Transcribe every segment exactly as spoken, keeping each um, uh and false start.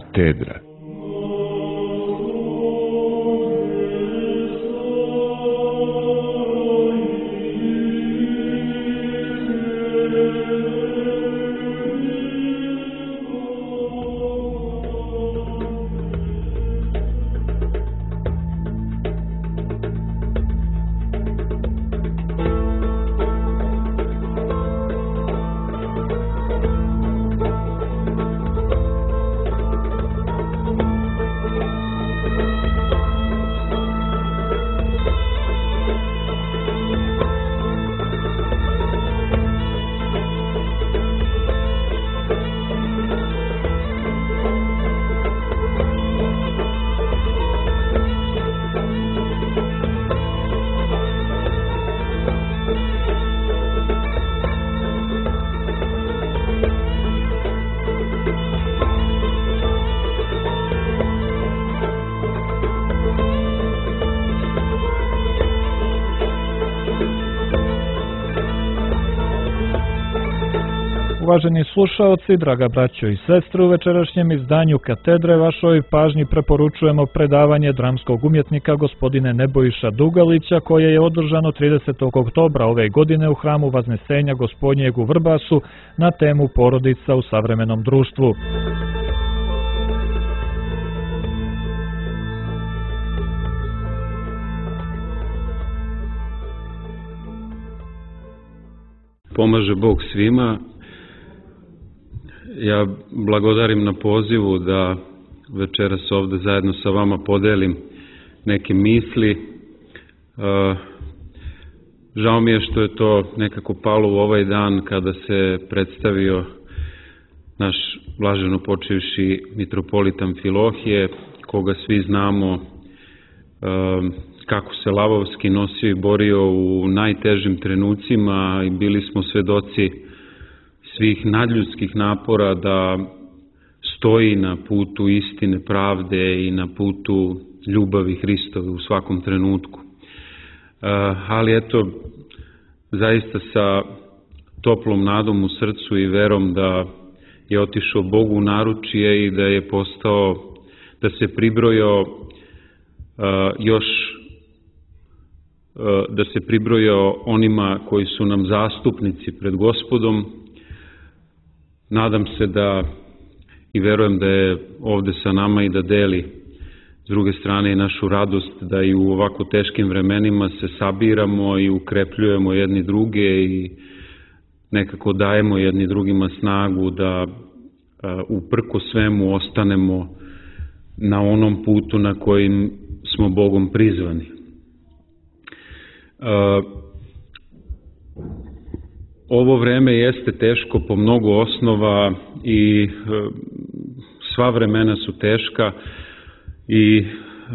Katedra. Uvaženi slušaoci, draga braćo i sestre, u večerašnjem izdanju Katedre vašoj pažnji preporučujemo predavanje dramskog umjetnika gospodine Nebojša Dugalića, koje je održano tridesetog oktobra ove godine u hramu Vaznesenja Gospodnjeg u Vrbasu na temu porodica u savremenom društvu. Pomaže Bog svima. Ja blagodarim na pozivu da večeras ovde zajedno sa vama podelim neke misli. Žao mi je što je to nekako palo u ovaj dan kada se predstavio naš blaženo počivši mitropolit Amfilohije, koga svi znamo kako se lavovski nosio i borio u najtežim trenucima i bili smo svedoci svih nadljudskih napora da stoji na putu istine, pravde i na putu ljubavi Hristove u svakom trenutku. Ali eto, zaista sa toplom nadom u srcu i verom da je otišao Bogu u naručje i da je postao, da se pribrojao još da se pribrojao onima koji su nam zastupnici pred Gospodom. Nadam se da i verujem da je ovde sa nama i da deli s druge strane i našu radost da i u ovako teškim vremenima se sabiramo i ukrepljujemo jedni druge i nekako dajemo jedni drugima snagu da uprko svemu ostanemo na onom putu na kojim smo Bogom prizvani. Ovo vreme jeste teško po mnogo osnova i sva vremena su teška i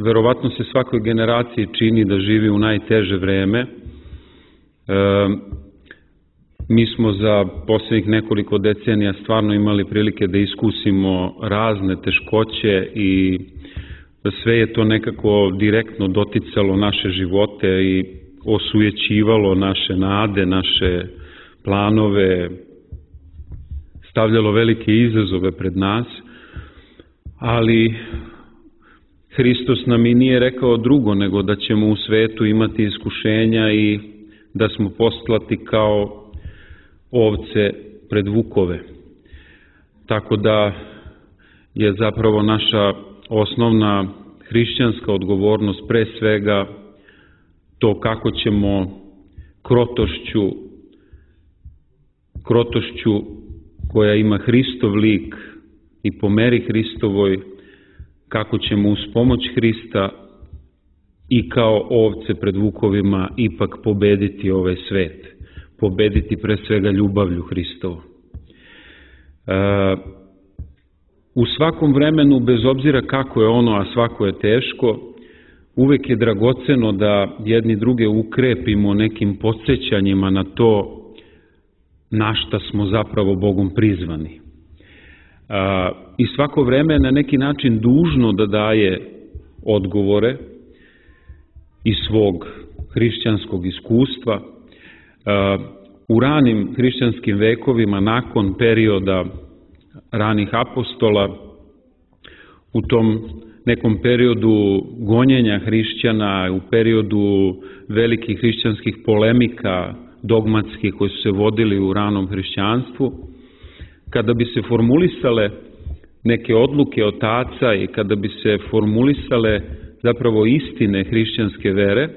verovatno se svakoj generaciji čini da živi u najteže vreme. Mi smo za poslednjih nekoliko decenija stvarno imali prilike da iskusimo razne teškoće i sve je to nekako direktno doticalo naše živote i osujećivalo naše nade, naše planove, stavljalo velike izazove pred nas, ali Hristos nam i nije rekao drugo nego da ćemo u svetu imati iskušenja i da smo poslati kao ovce pred vukove. Tako da je zapravo naša osnovna hrišćanska odgovornost pre svega to kako ćemo krotošću, krotošću koja ima Hristov lik i po meri Hristovoj, kako ćemo uz pomoć Hrista i kao ovce pred vukovima ipak pobediti ovaj svet, pobediti pre svega ljubavlju Hristovu. U svakom vremenu, bez obzira kako je ono, a svako je teško, uvek je dragoceno da jedni druge ukrepimo nekim podsjećanjima na to na šta smo zapravo Bogom prizvani. I svako vreme je na neki način dužno da daje odgovore iz svog hrišćanskog iskustva. U ranim hrišćanskim vekovima, nakon perioda ranih apostola, u tom nekom periodu gonjenja hrišćana, u periodu velikih hrišćanskih polemika, dogmatskih koji su se vodili u ranom hrišćanstvu, kada bi se formulisale neke odluke otaca i kada bi se formulisale zapravo istine hrišćanske vere,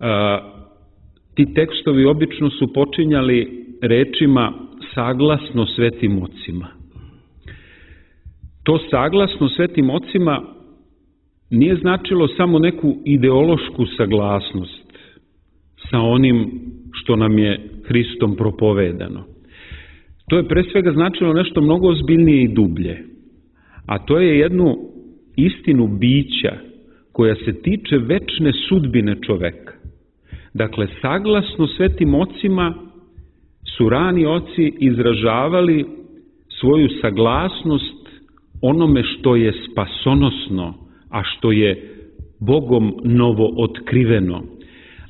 a, ti tekstovi obično su počinjali rečima saglasno svetim ocima. To saglasno svetim ocima nije značilo samo neku ideološku saglasnost sa onim što nam je Hristom propovedano. To je pre svega značilo nešto mnogo ozbiljnije i dublje, a to je jednu istinu bića koja se tiče večne sudbine čoveka. Dakle, saglasno svetim ocima su rani oci izražavali svoju saglasnost onome što je spasonosno, a što je Bogom novo otkriveno,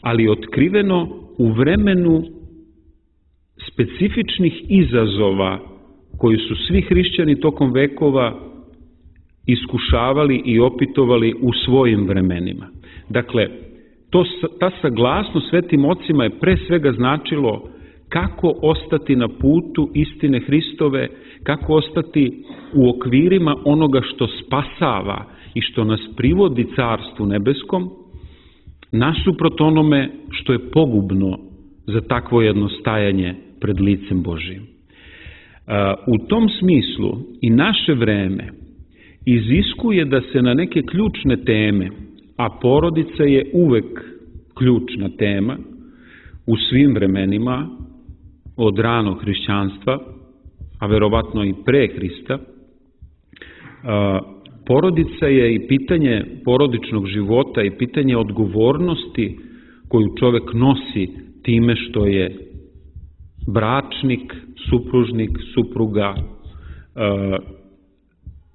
ali otkriveno u vremenu specifičnih izazova koji su svi hrišćani tokom vekova iskušavali i opitovali u svojim vremenima. Dakle, to, ta saglasnost svetim ocima je pre svega značilo kako ostati na putu istine Hristove, kako ostati u okvirima onoga što spasava i što nas privodi Carstvu nebeskom, nasuprot onome što je pogubno za takvo jedno stajanje pred licem Božijim. U tom smislu i naše vreme iziskuje da se na neke ključne teme, a porodica je uvek ključna tema u svim vremenima, od ranog hrišćanstva, a verovatno i pre Hrista, porodica je i pitanje porodičnog života i pitanje odgovornosti koju čovek nosi time što je bračnik, supružnik, supruga,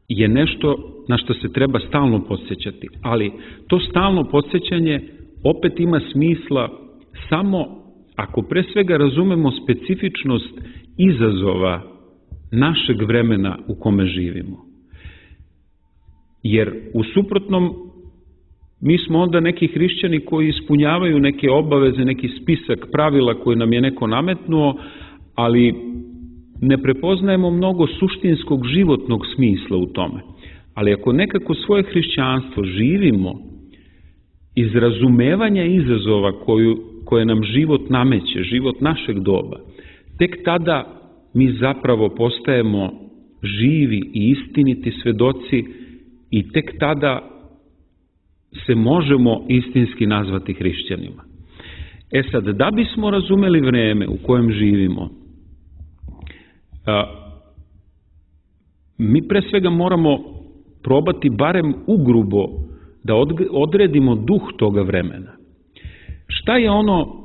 je nešto na što se treba stalno podsjećati. Ali to stalno podsjećanje opet ima smisla samo ako pre svega razumemo specifičnost izazova našeg vremena u kome živimo. Jer u suprotnom mi smo onda neki hrišćani koji ispunjavaju neke obaveze, neki spisak pravila koje nam je neko nametnuo, ali ne prepoznajemo mnogo suštinskog životnog smisla u tome. Ali ako nekako svoje hrišćanstvo živimo iz razumevanja izazova koju, koje nam život nameće, život našeg doba, tek tada mi zapravo postajemo živi i istiniti svedoci i tek tada se možemo istinski nazvati hrišćanima. E sad, da bismo razumeli vreme u kojem živimo, a, mi pre svega moramo probati barem ugrubo da odredimo duh toga vremena. Šta je ono,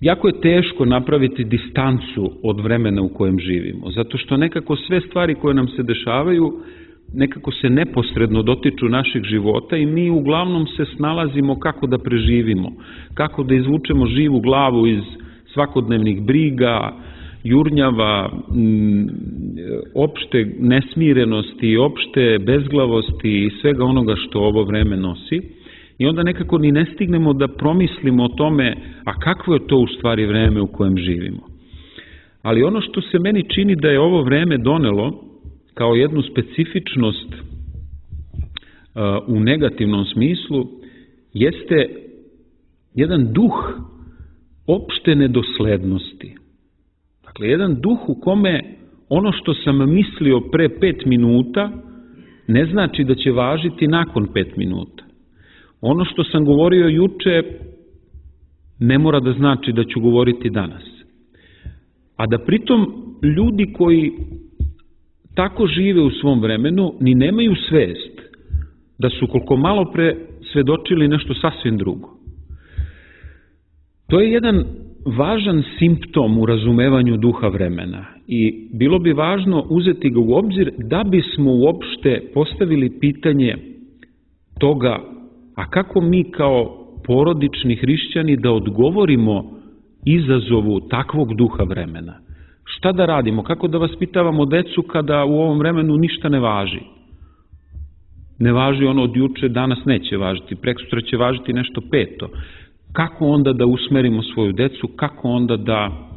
jako je teško napraviti distancu od vremena u kojem živimo, zato što nekako sve stvari koje nam se dešavaju nekako se neposredno dotiču našeg života i mi uglavnom se snalazimo kako da preživimo, kako da izvučemo živu glavu iz svakodnevnih briga, jurnjava, opšte nesmirenosti, opšte bezglavosti i svega onoga što ovo vreme nosi. I onda nekako ni ne stignemo da promislimo o tome, a kakvo je to u stvari vreme u kojem živimo. Ali ono što se meni čini da je ovo vreme donelo kao jednu specifičnost u negativnom smislu, jeste jedan duh opšte nedoslednosti. Dakle, jedan duh u kome ono što sam mislio pre pet minuta ne znači da će važiti nakon pet minuta. Ono što sam govorio juče ne mora da znači da ću govoriti danas. A da pritom ljudi koji tako žive u svom vremenu ni nemaju svest da su koliko malo pre svedočili nešto sasvim drugo. To je jedan važan simptom u razumevanju duha vremena i bilo bi važno uzeti ga u obzir da bismo uopšte postavili pitanje toga, a kako mi kao porodični hrišćani da odgovorimo izazovu takvog duha vremena. Šta da radimo? Kako da vaspitavamo decu kada u ovom vremenu ništa ne važi? ne važi ono od juče, danas neće važiti, preksutra će važiti nešto peto. Kako onda da usmerimo svoju decu, kako onda da,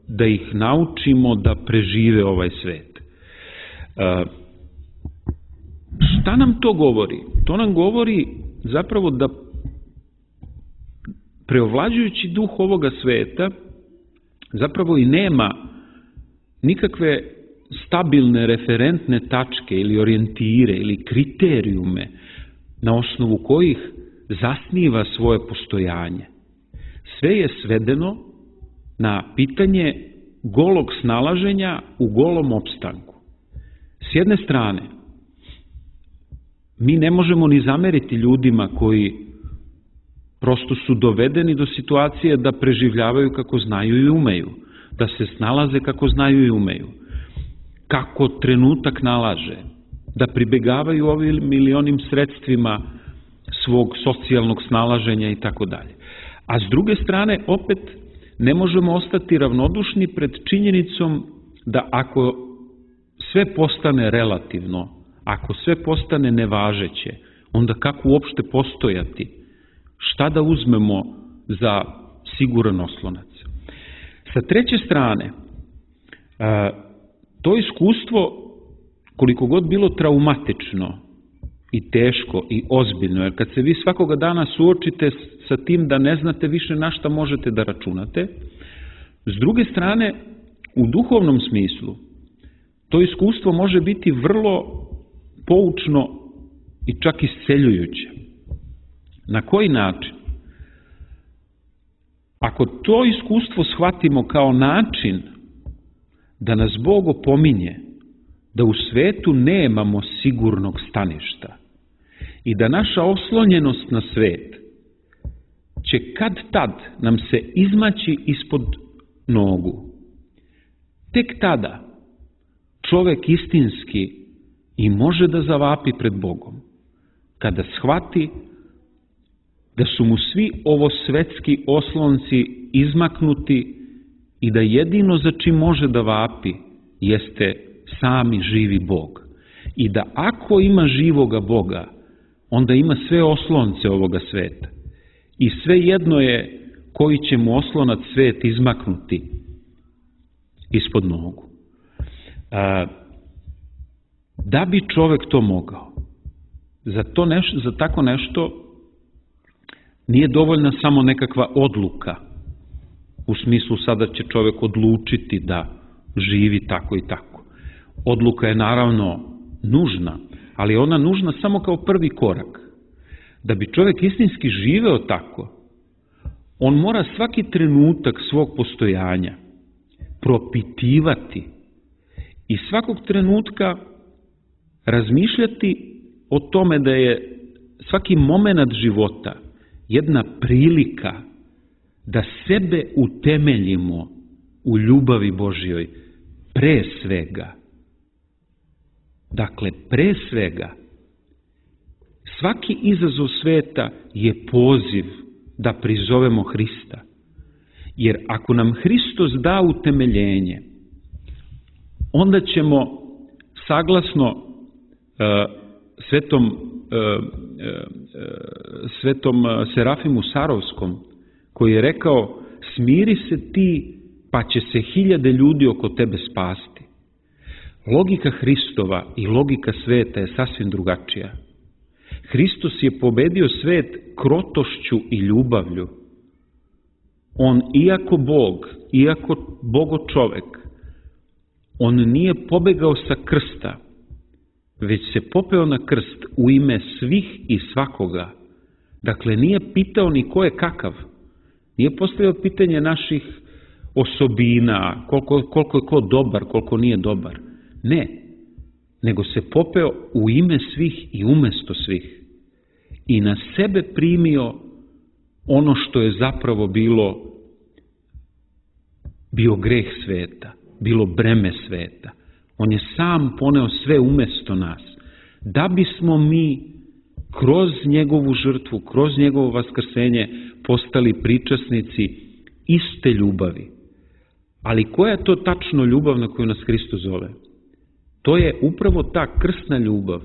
da ih naučimo da prežive ovaj svet? Šta nam to govori? To nam govori zapravo da preovlađujući duh ovoga sveta zapravo i nema nikakve stabilne referentne tačke ili orijentire ili kriterijume na osnovu kojih zasniva svoje postojanje. Sve je svedeno na pitanje golog snalaženja u golom opstanku. S jedne strane, mi ne možemo ni zameriti ljudima koji prosto su dovedeni do situacije da preživljavaju kako znaju i umeju, da se snalaze kako znaju i umeju, kako trenutak nalaže, da pribegavaju ovim ili onim sredstvima svog socijalnog snalaženja i tako dalje. A s druge strane, opet, ne možemo ostati ravnodušni pred činjenicom da ako sve postane relativno, ako sve postane nevažeće, onda kako uopšte postojati? Šta da uzmemo za siguran oslonac? Sa treće strane, to iskustvo, koliko god bilo traumatično i teško i ozbiljno, jer kad se vi svakoga dana suočite sa tim da ne znate više na šta možete da računate, s druge strane, u duhovnom smislu, to iskustvo može biti vrlo poučno i čak isceljujuće. Na koji način? Ako to iskustvo shvatimo kao način da nas Bog opominje da u svetu nemamo sigurnog staništa i da naša oslonjenost na svet će kad tad nam se izmaći ispod nogu, tek tada čovek istinski i može da zavapi pred Bogom, kada shvati da su mu svi ovo svetski oslonci izmaknuti i da jedino za čim može da vapi jeste sami živi Bog. I da ako ima živoga Boga, onda ima sve oslonce ovoga sveta. I sve jedno je koji će mu oslonac svet izmaknuti ispod nogu. A, da bi čovek to mogao, za, to neš, za tako nešto nije dovoljna samo nekakva odluka, u smislu sada će čovek odlučiti da živi tako i tako. Odluka je naravno nužna, ali ona nužna samo kao prvi korak. Da bi čovek istinski živeo tako, on mora svaki trenutak svog postojanja propitivati i svakog trenutka razmišljati o tome da je svaki moment života jedna prilika da sebe utemeljimo u ljubavi Božjoj pre svega. Dakle, pre svega, svaki izazov sveta je poziv da prizovemo Hrista. Jer ako nam Hristos da utemeljenje, onda ćemo saglasno uh, svetom, uh, uh, svetom Serafimu Sarovskom, koji je rekao: smiri se ti, pa će se hiljade ljudi oko tebe spasti. Logika Hristova i logika sveta je sasvim drugačija. Hristos je pobedio svet krotošću i ljubavlju. On, iako Bog, iako Bogo čovek, on nije pobegao sa krsta, već se popeo na krst u ime svih i svakoga. Dakle, nije pitao ni ko je kakav. Nije postavio pitanje naših osobina, koliko, koliko je ko dobar, koliko nije dobar. Ne, nego se popeo u ime svih i umesto svih. I na sebe primio ono što je zapravo bilo bio greh sveta, bilo breme sveta. On je sam poneo sve umesto nas, da bismo mi kroz njegovu žrtvu, kroz njegovo vaskrsenje postali pričasnici iste ljubavi. Ali koja je to tačno ljubav na koju nas Hristos zove? To je upravo ta krsna ljubav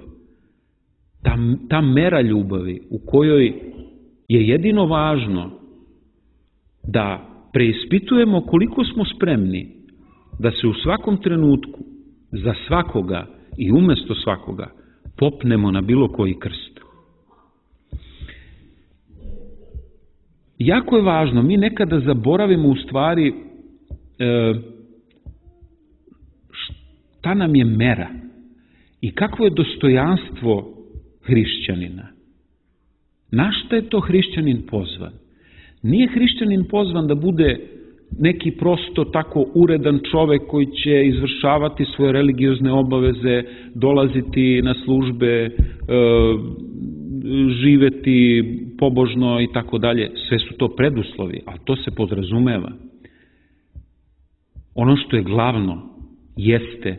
Ta, ta mera ljubavi u kojoj je jedino važno da preispitujemo koliko smo spremni da se u svakom trenutku za svakoga i umesto svakoga popnemo na bilo koji krst. Jako je važno, mi nekada zaboravimo u stvari e, šta nam je mera i kakvo je dostojanstvo hrišćanina. Na šta je to hrišćanin pozvan? Nije hrišćanin pozvan da bude neki prosto tako uredan čovek koji će izvršavati svoje religiozne obaveze, dolaziti na službe, e, živeti pobožno i tako dalje. Sve su to preduslovi, a to se podrazumeva. Ono što je glavno jeste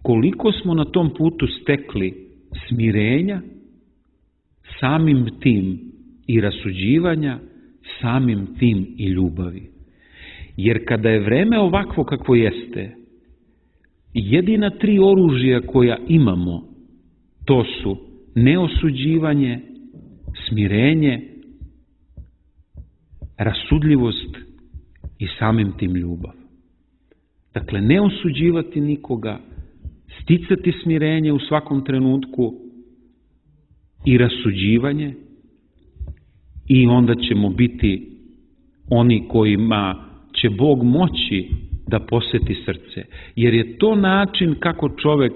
koliko smo na tom putu stekli smirenja, samim tim i rasuđivanja, samim tim i ljubavi. Jer kada je vreme ovakvo kakvo jeste, jedina tri oružja koja imamo, to su neosuđivanje, smirenje, rasudljivost i samim tim ljubav. Dakle, ne osuđivati nikoga, sticati smirenje u svakom trenutku i rasuđivanje, i onda ćemo biti oni kojima će Bog moći da poseti srce, jer je to način kako čovek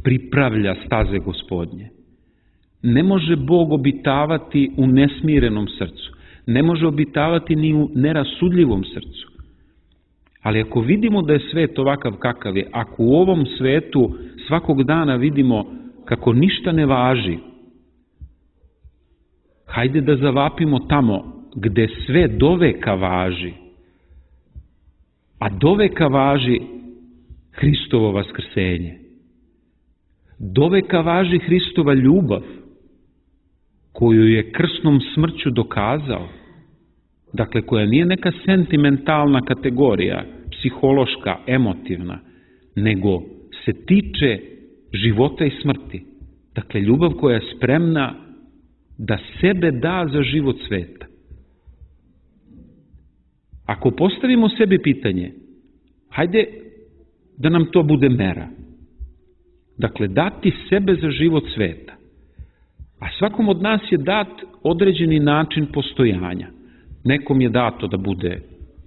pripravlja staze Gospodnje. Ne može Bog obitavati u nesmirenom srcu, ne može obitavati ni u nerasudljivom srcu. Ali ako vidimo da je svet ovakav kakav je, ako u ovom svetu svakog dana vidimo kako ništa ne važi, hajde da zavapimo tamo gde sve doveka važi, a doveka važi Hristovo vaskrsenje. Doveka važi Hristova ljubav, koju je krsnom smrću dokazao, dakle koja nije neka sentimentalna kategorija, psihološka, emotivna, nego se tiče života i smrti. Dakle, ljubav koja je spremna da sebe da za život sveta. Ako postavimo sebi pitanje, hajde da nam to bude mera. Dakle, dati sebe za život sveta. A svakom od nas je dat određeni način postojanja. Nekom je dato da bude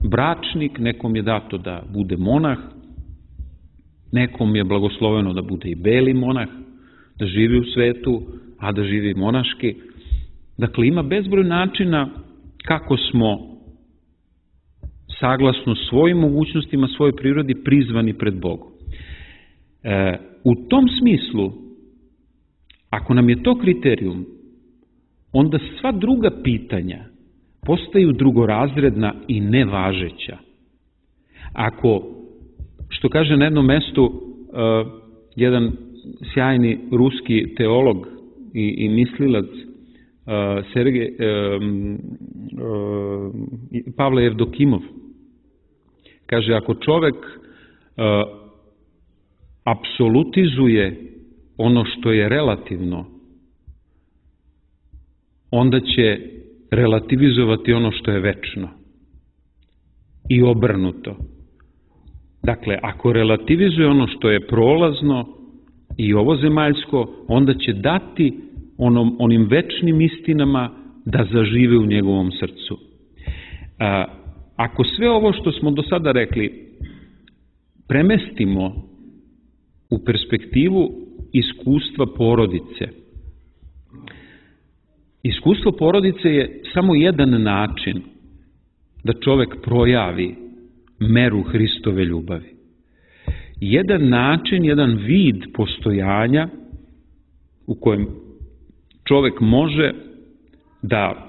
bračnik, nekom je dato da bude monah, nekom je blagosloveno da bude i beli monah, da živi u svetu, a da živi monaški. Dakle, ima bezbroj načina kako smo saglasno svojim mogućnostima, svojoj prirodi prizvani pred Bogom. E, u tom smislu, ako nam je to kriterijum, onda sva druga pitanja postaju drugorazredna i nevažeća. Ako, što kaže na jednom mestu uh, jedan sjajni ruski teolog i, i mislilac uh, Sergej, uh, uh, Pavle Jevdokimov, kaže, ako čovek uh, apsolutizuje ono što je relativno, onda će relativizovati ono što je večno. I obrnuto. Dakle, ako relativizuje ono što je prolazno i ovozemaljsko, onda će dati onom, onim večnim istinama da zažive u njegovom srcu. A, ako sve ovo što smo do sada rekli premestimo u perspektivu iskustva porodice, iskustvo porodice je samo jedan način da čovek projavi meru Hristove ljubavi. Jedan način, jedan vid postojanja u kojem čovek može da,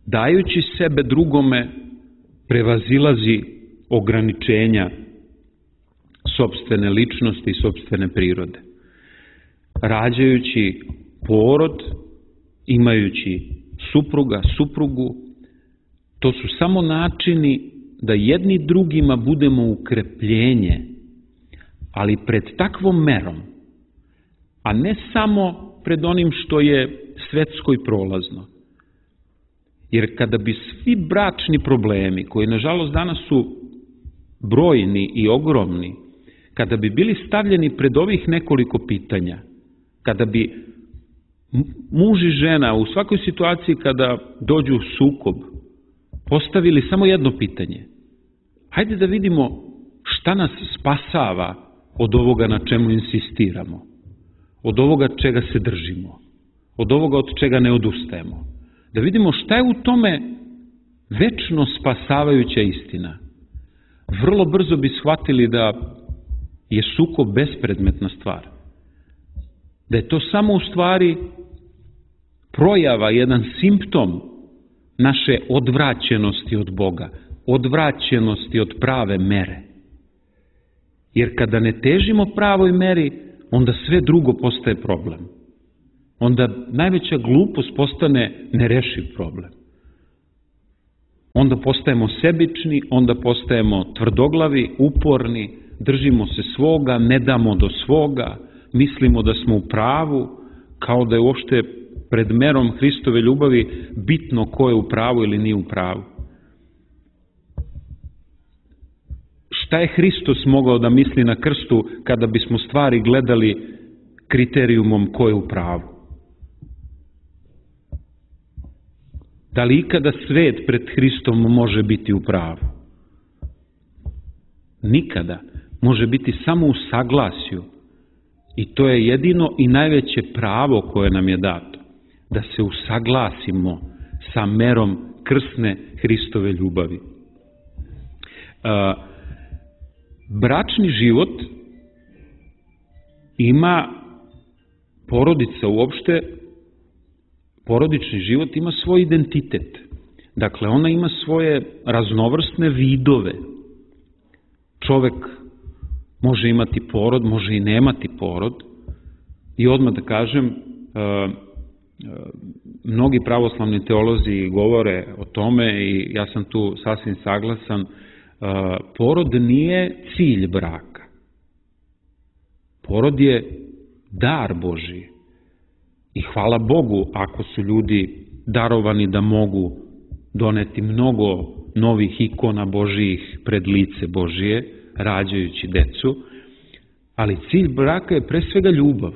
dajući sebe drugome, prevazilazi ograničenja sopstvene ličnosti i sopstvene prirode. Rađajući porod, imajući supruga, suprugu, to su samo načini da jedni drugima budemo ukrepljenje, ali pred takvom merom, a ne samo pred onim što je svetsko i prolazno. Jer kada bi svi bračni problemi, koji nažalost danas su brojni i ogromni, kada bi bili stavljeni pred ovih nekoliko pitanja, kada bi muž i žena u svakoj situaciji kada dođu u sukob postavili samo jedno pitanje: hajde da vidimo šta nas spasava od ovoga na čemu insistiramo, od ovoga čega se držimo, od ovoga od čega ne odustajemo. Da vidimo šta je u tome večno spasavajuća istina. Vrlo brzo bi shvatili da je sukob bespredmetna stvar. Da je to samo u stvari projava, jedan simptom naše odvraćenosti od Boga, odvraćenosti od prave mere. Jer kada ne težimo pravoj meri, onda sve drugo postaje problem. Onda najveća glupost postane nerešiv problem. Onda postajemo sebični, onda postajemo tvrdoglavi, uporni, držimo se svoga, ne damo do svoga, mislimo da smo u pravu, kao da je uopšte pred merom Hristove ljubavi bitno ko je u pravu ili nije u pravu. Šta je Hristos mogao da misli na krstu kada bismo stvari gledali kriterijumom ko je u pravu? Da li ikada svet pred Hristom može biti u pravu? Nikada. Može biti samo u saglasju. I to je jedino i najveće pravo koje nam je dato. Da se usaglasimo sa merom krsne Hristove ljubavi. Bračni život ima, porodica uopšte, porodični život ima svoj identitet. Dakle, ona ima svoje raznovrsne vidove. Čovek može imati porod, može i nemati porod. I odmah da kažem, mnogi pravoslavni teolozi govore o tome i ja sam tu sasvim saglasan. Porod nije cilj braka. Porod je dar Božji. I hvala Bogu ako su ljudi darovani da mogu doneti mnogo novih ikona Božijih pred lice Božije, rađajući decu, ali cilj braka je pre svega ljubav.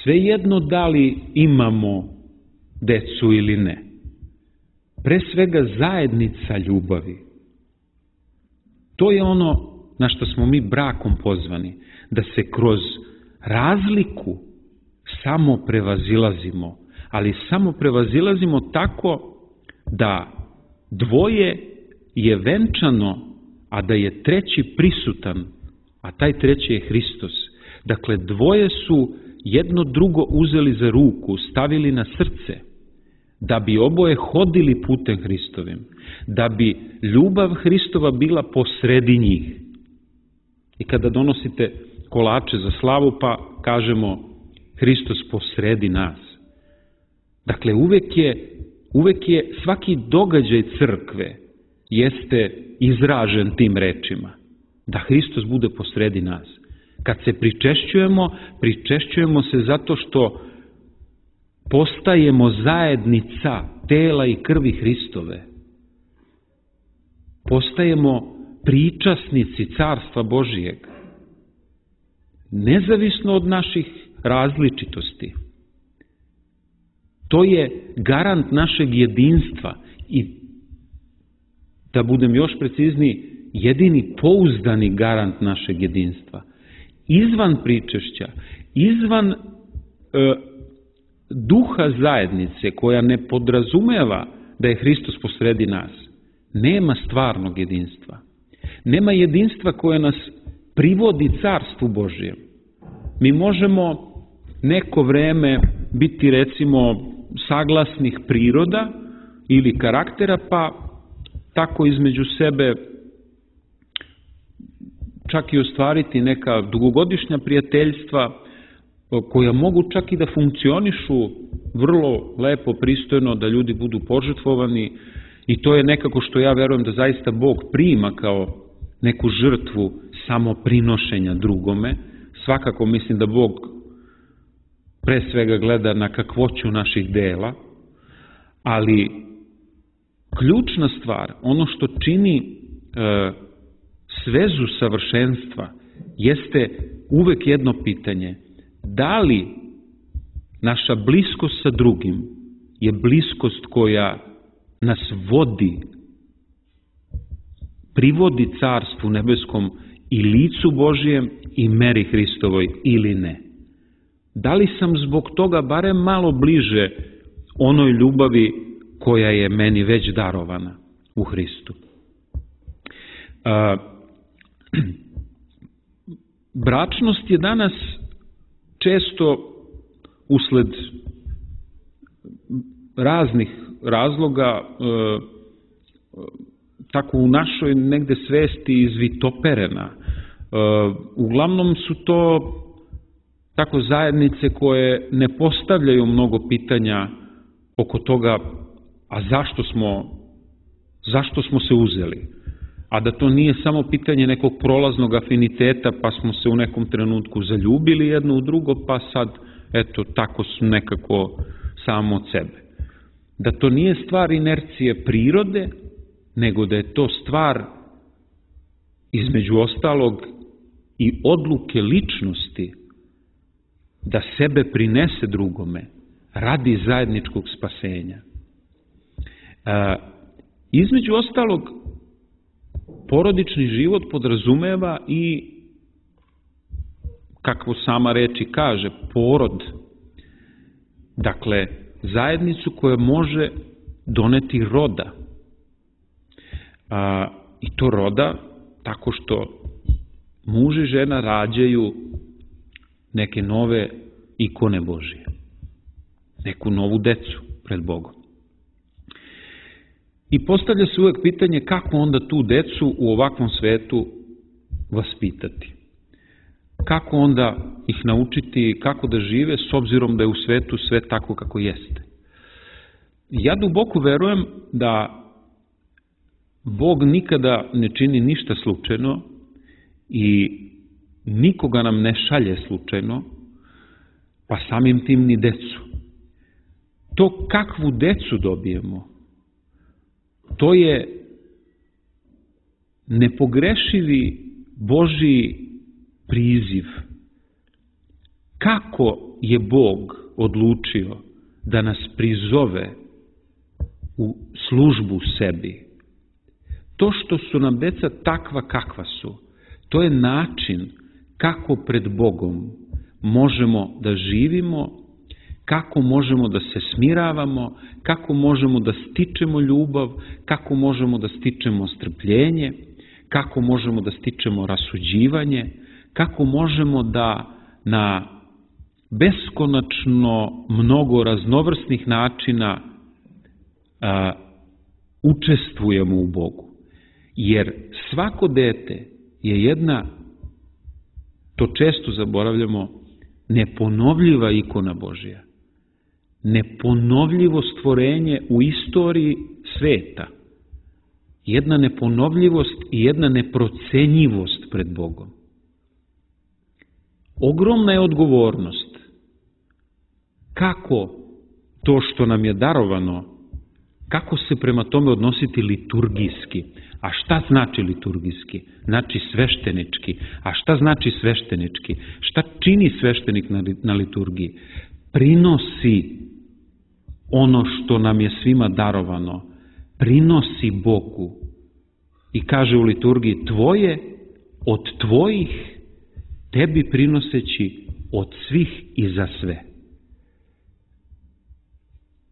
Svejedno da li imamo decu ili ne. Pre svega zajednica ljubavi. To je ono na što smo mi brakom pozvani, da se kroz razliku samo prevazilazimo, ali samo prevazilazimo tako da dvoje je venčano, a da je treći prisutan, a taj treći je Hristos. Dakle, dvoje su jedno drugo uzeli za ruku, stavili na srce, da bi oboje hodili putem Hristovim, da bi ljubav Hristova bila posredi njih. I kada donosite kolače za slavu, pa kažemo Hristos posredi nas. Dakle, uvek je, uvek je svaki događaj crkve jeste izražen tim rečima, da Hristos bude posredi nas. Kad se pričešćujemo, pričešćujemo se zato što postajemo zajednica tela i krvi Hristove. Postajemo pričasnici Carstva Božijeg. Nezavisno od naših različitosti. To je garant našeg jedinstva i, da budem još precizniji, jedini pouzdani garant našeg jedinstva. Izvan pričešća, izvan e, duha zajednice koja ne podrazumeva da je Hristos posredi nas, nema stvarnog jedinstva. Nema jedinstva koje nas privodi Carstvu Božijem. Mi možemo neko vreme biti, recimo, saglasnih priroda ili karaktera, pa tako između sebe čak i ostvariti neka dugogodišnja prijateljstva koja mogu čak i da funkcionišu vrlo lepo, pristojno, da ljudi budu požrtvovani, i to je nekako što ja verujem da zaista Bog prima kao neku žrtvu samoprinošenja drugome. Svakako mislim da Bog pre svega gleda na kakvoću naših dela, ali ključna stvar, ono što čini e, svezu savršenstva, jeste uvek jedno pitanje: da li naša bliskost sa drugim je bliskost koja nas vodi, privodi Carstvu nebeskom i licu Božijem i meri Hristovoj ili ne? Da li sam zbog toga barem malo bliže onoj ljubavi koja je meni već darovana u Hristu? A, bračnost je danas često usled raznih razloga e, tako u našoj negde svesti izvitoperena. E, uglavnom su to tako zajednice koje ne postavljaju mnogo pitanja oko toga, a zašto smo, zašto smo se uzeli? A da to nije samo pitanje nekog prolaznog afiniteta, pa smo se u nekom trenutku zaljubili jedno u drugo, pa sad, eto, tako su nekako samo od sebe. Da to nije stvar inercije prirode, nego da je to stvar, između ostalog, i odluke ličnosti da sebe prinese drugome radi zajedničkog spasenja. E, između ostalog, porodični život podrazumeva i, kako sama reči kaže, porod. Dakle, zajednicu koja može doneti roda. A, I to roda tako što muž i žena rađaju neke nove ikone Božije. Neku novu decu pred Bogom. I postavlja se uvek pitanje kako onda tu decu u ovakvom svetu vaspitati. Kako onda ih naučiti kako da žive s obzirom da je u svetu sve tako kako jeste. Ja duboko verujem da Bog nikada ne čini ništa slučajno i nikoga nam ne šalje slučajno, pa samim tim ni decu. To kakvu decu dobijemo, to je nepogrešivi Božji priziv. Kako je Bog odlučio da nas prizove u službu sebi? To što su nam deca takva kakva su, to je način kako pred Bogom možemo da živimo, kako možemo da se smiravamo, kako možemo da stičemo ljubav, kako možemo da stičemo strpljenje, kako možemo da stičemo rasuđivanje, kako možemo da na beskonačno mnogo raznovrsnih načina a, učestvujemo u Bogu. Jer svako dete je jedna, to često zaboravljamo, neponovljiva ikona Božja. Neponovljivo stvorenje u istoriji sveta. Jedna neponovljivost i jedna neprocenjivost pred Bogom. Ogromna je odgovornost. Kako to što nam je darovano, kako se prema tome odnositi liturgijski? A šta znači liturgijski? Znači sveštenički. A šta znači sveštenički? Šta čini sveštenik na liturgiji? Prinosi ono što nam je svima darovano. Prinosi Bogu. I kaže u liturgiji: tvoje od tvojih, tebi prinoseći od svih i za sve.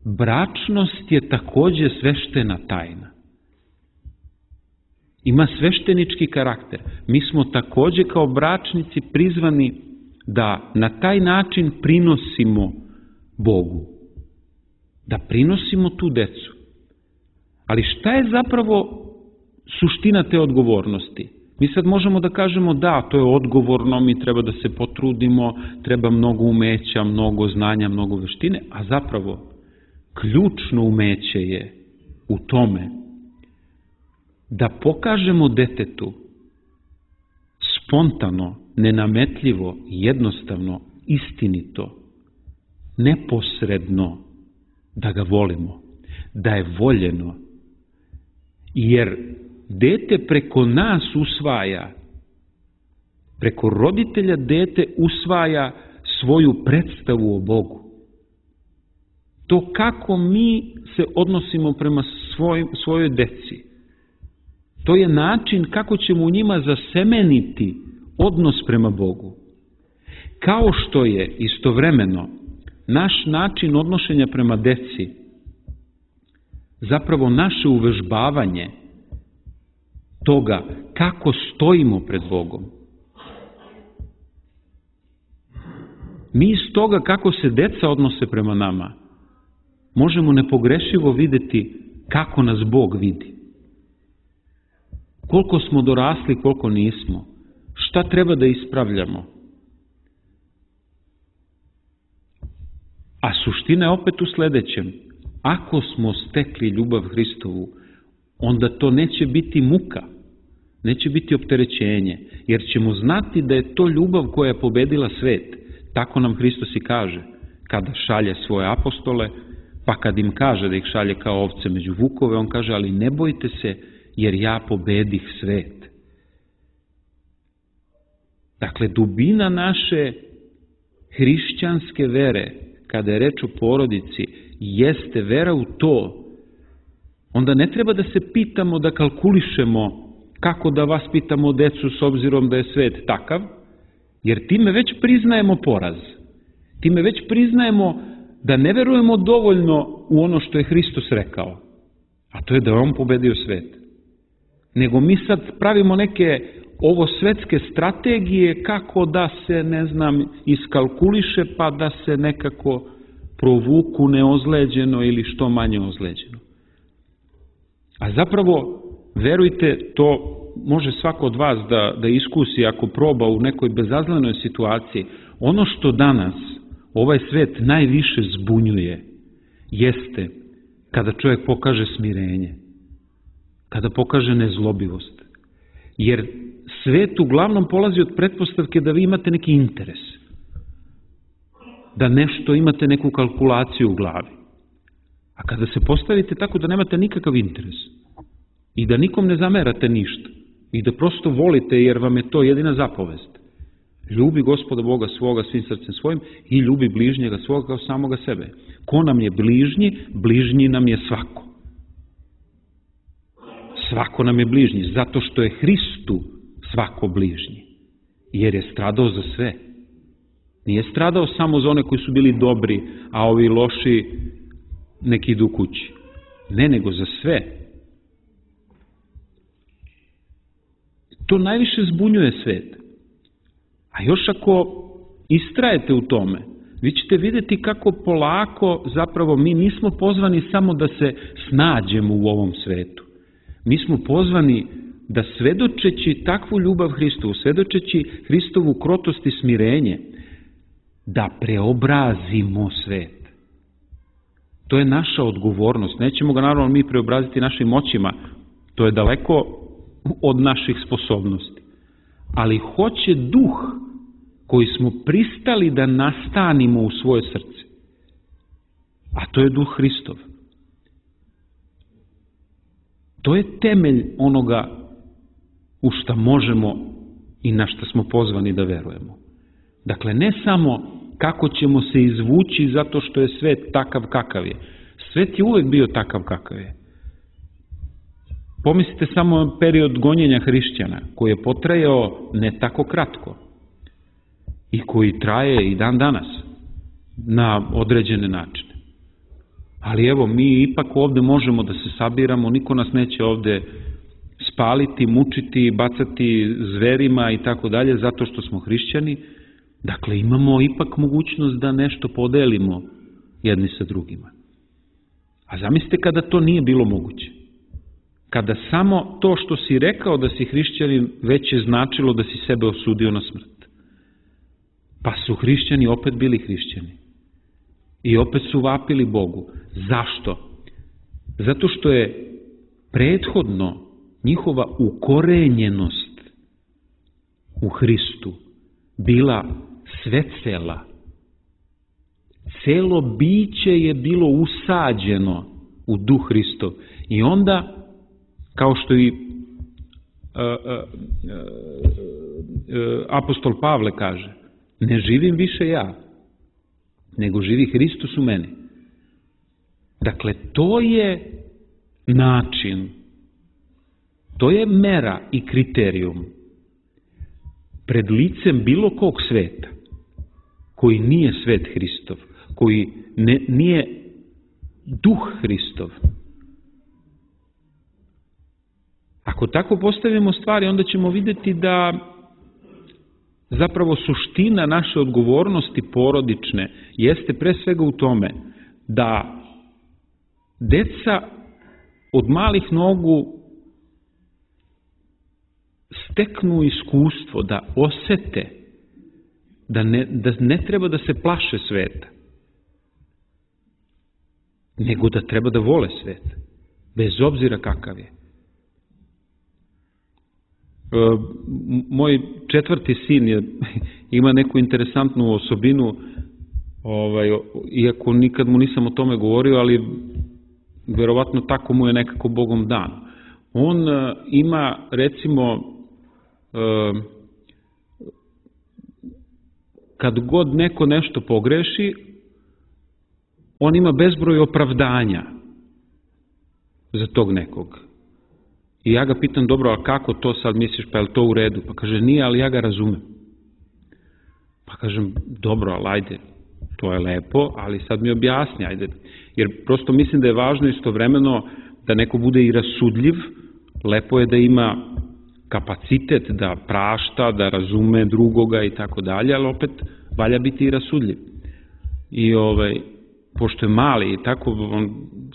Bračnost je takođe sveštena tajna. Ima sveštenički karakter. Mi smo takođe kao bračnici prizvani da na taj način prinosimo Bogu. Da prinosimo tu decu. Ali šta je zapravo suština te odgovornosti? Mi sad možemo da kažemo da, to je odgovorno, mi treba da se potrudimo, treba mnogo umeća, mnogo znanja, mnogo veštine, a zapravo ključno umeće je u tome da pokažemo detetu spontano, nenametljivo, jednostavno, istinito, neposredno da ga volimo, da je voljeno, jer dete preko nas usvaja, preko roditelja dete usvaja svoju predstavu o Bogu. To kako mi se odnosimo prema svoj, svojoj deci, to je način kako ćemo u njima zasemeniti odnos prema Bogu. Kao što je istovremeno naš način odnošenja prema deci zapravo naše uvežbavanje toga kako stojimo pred Bogom. Mi iz toga kako se deca odnose prema nama možemo nepogrešivo vidjeti kako nas Bog vidi. Koliko smo dorasli, koliko nismo. Šta treba da ispravljamo. A suština je opet u sledećem. Ako smo stekli ljubav Hristovu, onda to neće biti muka, neće biti opterećenje, jer ćemo znati da je to ljubav koja je pobedila svet. Tako nam Hristos i kaže, kada šalje svoje apostole, pa kad im kaže da ih šalje kao ovce među vukove, on kaže, ali ne bojte se, jer ja pobedih svet. Dakle, dubina naše hrišćanske vere, kada je reč o porodici, jeste vera u to. Onda ne treba da se pitamo, da kalkulišemo kako da vaspitamo decu s obzirom da je svet takav, jer time već priznajemo poraz. Time već priznajemo da ne verujemo dovoljno u ono što je Hristos rekao, a to je da je on pobedio svet. Nego mi sad pravimo neke ovo svetske strategije kako da se, ne znam, iskalkuliše pa da se nekako provuku neozleđeno ili što manje ozleđeno. A zapravo, verujte, to može svako od vas da, da iskusi ako proba u nekoj bezazlenoj situaciji. Ono što danas ovaj svet najviše zbunjuje jeste kada čovjek pokaže smirenje, kada pokaže nezlobivost. Jer svet uglavnom polazi od pretpostavke da vi imate neki interes, da nešto imate neku kalkulaciju u glavi. A kada se postavite tako da nemate nikakav interes i da nikom ne zamerate ništa i da prosto volite jer vam je to jedina zapovest, ljubi Gospoda Boga svoga svim srcem svojim i ljubi bližnjega svoga kao samoga sebe. Ko nam je bližnji? Bližnji nam je svako. Svako nam je bližnji, zato što je Hristu svako bližnji, jer je stradao za sve. Nije stradao samo za one koji su bili dobri, a ovi loši neki idu kući. Ne, nego za sve. To najviše zbunjuje svet. A još ako istrajete u tome, vi ćete vidjeti kako polako zapravo mi nismo pozvani samo da se snađemo u ovom svetu. Mi smo pozvani da svedočeći takvu ljubav Hristovu, svedočeći Hristovu krotost i smirenje, da preobrazimo svet. To je naša odgovornost. Nećemo ga naravno mi preobraziti našim moćima, to je daleko od naših sposobnosti. Ali hoće duh koji smo pristali da nastanimo u svoje srce, a to je duh Hristov. To je temelj onoga u šta možemo i na šta smo pozvani da verujemo. Dakle, ne samo kako ćemo se izvući zato što je svet takav kakav je. Svet je uvek bio takav kakav je. Pomislite samo period gonjenja hrišćana, koji je potrajao ne tako kratko i koji traje i dan danas na određene načine. Ali evo, mi ipak ovde možemo da se sabiramo, niko nas neće ovde spaliti, mučiti, bacati zverima i tako dalje, zato što smo hrišćani. Dakle, imamo ipak mogućnost da nešto podelimo jedni sa drugima. A zamislite kada to nije bilo moguće. Kada samo to što si rekao da si hrišćanin već je značilo da si sebe osudio na smrt. Pa su hrišćani opet bili hrišćani. I opet su vapili Bogu. Zašto? Zato što je prethodno njihova ukorenjenost u Hristu bila svecela, celo biće je bilo usađeno u duh Hristov. I onda, kao što i uh, uh, uh, uh, apostol Pavle kaže, ne živim više ja, nego živi Hristos u meni. Dakle, to je način, to je mera i kriterijum pred licem bilo kog sveta, koji nije svet Hristov, koji ne, nije duh Hristov. Ako tako postavimo stvari, onda ćemo vidjeti da zapravo suština naše odgovornosti porodične jeste pre svega u tome da deca od malih nogu steknu iskustvo, da osete da ne, da ne treba da se plaše sveta, nego da treba da vole svet, bez obzira kakav je. E, moj četvrti sin je, ima neku interesantnu osobinu, ovaj, iako nikad mu nisam o tome govorio, ali verovatno tako mu je nekako Bogom dan. On e, ima, recimo, e, kad god neko nešto pogreši, on ima bezbroj opravdanja za tog nekog. I ja ga pitam, dobro, a kako to sad misliš, pa je li to u redu? Pa kaže, nije, ali ja ga razumem. Pa kažem, dobro, ali ajde, to je lepo, ali sad mi objasni, ajde. Jer prosto mislim da je važno istovremeno da neko bude i rasudljiv, lepo je da ima kapacitet da prašta, da razume drugoga i tako dalje, ali opet valja biti i rasudljiv. I ovaj, pošto je mali i tako, on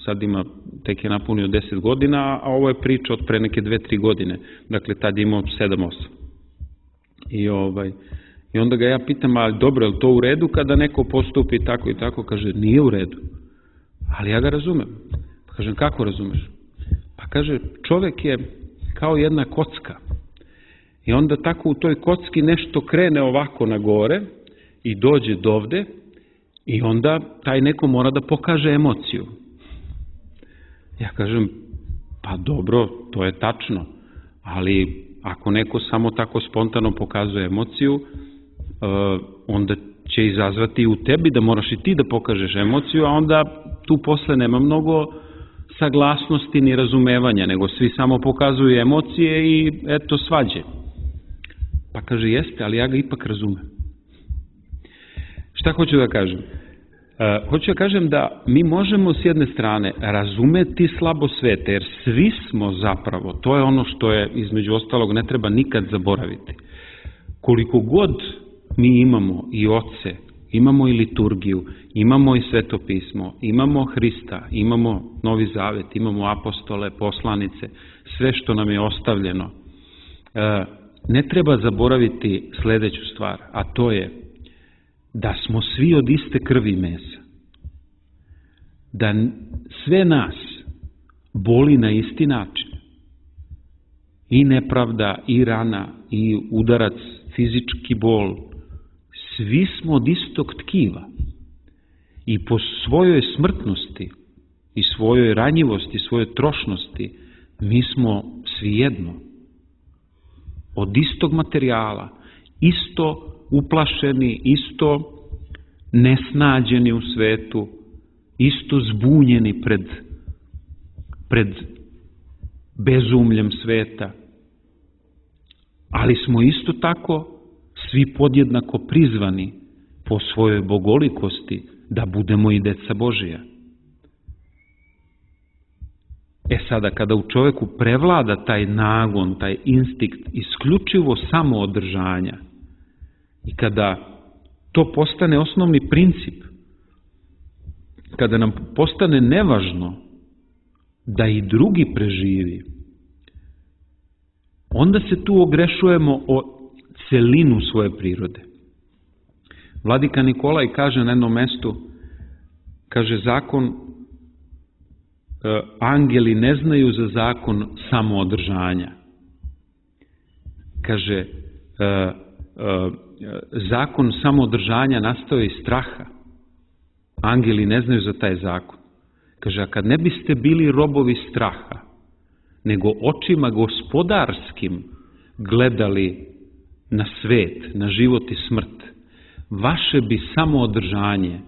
sad ima, tek je napunio deset godina, a ovo je priča od pre neke dve, tri godine. Dakle, tad je imao sedam, osam. I, ovaj, I onda ga ja pitam, ali dobro, je li to u redu kada neko postupi tako i tako? Kaže, nije u redu. Ali ja ga razumem. Pa kažem, kako razumeš? Pa kaže, čovek je kao jedna kocka. I onda tako u toj kocki nešto krene ovako na gore i dođe dovde i onda taj neko mora da pokaže emociju. Ja kažem, pa dobro, to je tačno, ali ako neko samo tako spontano pokazuje emociju, onda će izazvati u tebi da moraš i ti da pokažeš emociju, a onda tu posle nema mnogo saglasnosti ni razumevanja, nego svi samo pokazuju emocije i eto svađe. Pa kaže, jeste, ali ja ga ipak razumem. Šta hoću da kažem? Uh, hoću da kažem da mi možemo s jedne strane razumeti slabo sveta, jer svi smo zapravo, to je ono što je između ostalog ne treba nikad zaboraviti. Koliko god mi imamo i oce, imamo i liturgiju, imamo i svetopismo, imamo Hrista, imamo Novi Zavet, imamo apostole, poslanice, sve što nam je ostavljeno, uh, ne treba zaboraviti sledeću stvar, a to je da smo svi od iste krvi i mesa. Da sve nas boli na isti način. I nepravda, i rana, i udarac, fizički bol. Svi smo od istog tkiva. I po svojoj smrtnosti, i svojoj ranjivosti, svojoj trošnosti, mi smo svi jedno. Od istog materijala, isto uplašeni, isto nesnađeni u svetu, isto zbunjeni pred, pred bezumljem sveta, ali smo isto tako svi podjednako prizvani po svojoj bogolikosti da budemo i deca Božija. E sada, kada u čoveku prevlada taj nagon, taj instinkt isključivo samoodržanja i kada to postane osnovni princip, kada nam postane nevažno da i drugi preživi, onda se tu ogrešujemo o celinu svoje prirode. Vladika Nikolaj kaže na jednom mestu, kaže zakon, angeli ne znaju za zakon samoodržanja. Kaže, zakon samoodržanja nastao iz straha, angeli ne znaju za taj zakon. Kaže, a kad ne biste bili robovi straha, nego očima gospodarskim gledali na svet, na život i smrt, vaše bi samo održanje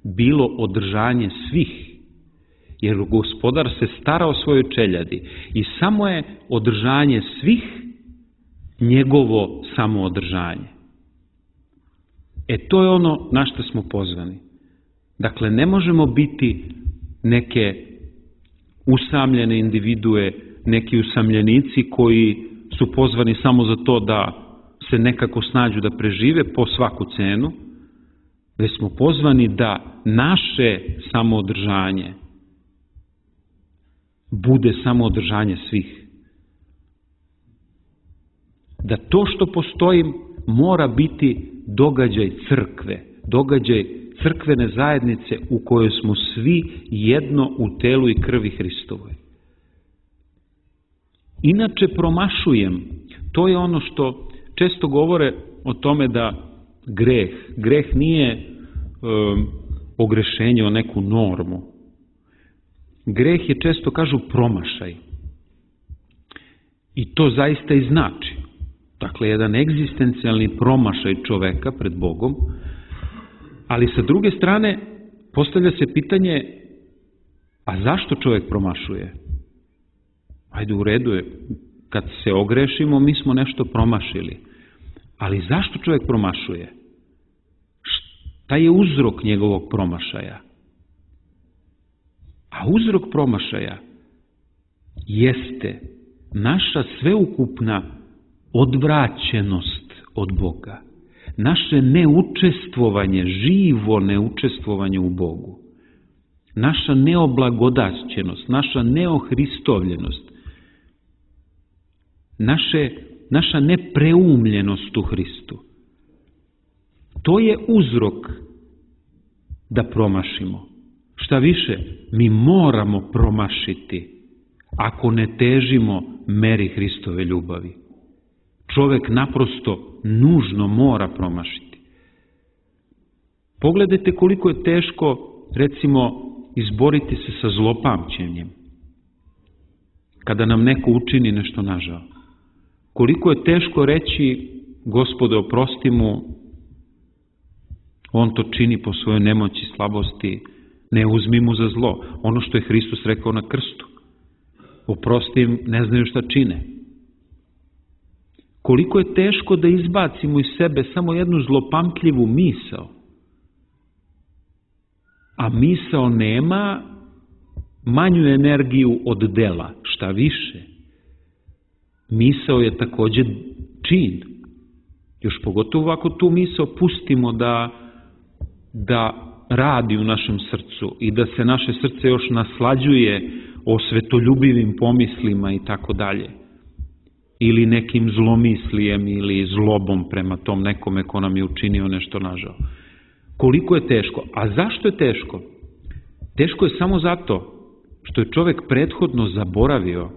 bilo održanje svih, jer gospodar se stara o svojoj čeljadi i samo je održanje svih njegovo samoodržanje. E to je ono na što smo pozvani. Dakle, ne možemo biti neke usamljene individue, neki usamljenici koji su pozvani samo za to da se nekako snađu da prežive po svaku cenu, već smo pozvani da naše samoodržanje bude samoodržanje svih. Da to što postoji mora biti događaj crkve, događaj crkvene zajednice u kojoj smo svi jedno u telu i krvi Hristovoj. Inače promašujem, to je ono što često govore o tome da greh, greh nije um, ogrešenje o neku normu. Greh je, često kažu, promašaj. I to zaista i znači. Dakle, jedan egzistencijalni promašaj čoveka pred Bogom, ali sa druge strane postavlja se pitanje, a zašto čovjek promašuje? Ajde, u redu je, kad se ogrešimo, mi smo nešto promašili. Ali zašto čovjek promašuje? Šta je uzrok njegovog promašaja? A uzrok promašaja jeste naša sveukupna odvraćenost od Boga. Naše neučestvovanje, živo neučestvovanje u Bogu. Naša neoblagodaćenost, naša neohristovljenost. Naše, naša nepreumljenost u Hristu. To je uzrok da promašimo. Šta više, mi moramo promašiti ako ne težimo meri Hristove ljubavi. Čovjek naprosto nužno mora promašiti. Pogledajte koliko je teško, recimo, izboriti se sa zlopamćenjem. Kada nam neko učini nešto nažao. Koliko je teško reći, Gospode, oprosti mu, on to čini po svojoj nemoći, slabosti, ne uzmi mu za zlo. Ono što je Hristos rekao na krstu. Oprosti im, ne znaju šta čine. Koliko je teško da izbacimo iz sebe samo jednu zlopamtljivu misao. A misao nema manju energiju od dela, šta više. Misao je također čin. Još pogotovo ako tu misao pustimo da, da radi u našem srcu i da se naše srce još naslađuje o svetoljubivim pomislima i tako dalje. Ili nekim zlomislijem ili zlobom prema tom nekome ko nam je učinio nešto nažao. Koliko je teško? A zašto je teško? Teško je samo zato što je čovjek prethodno zaboravio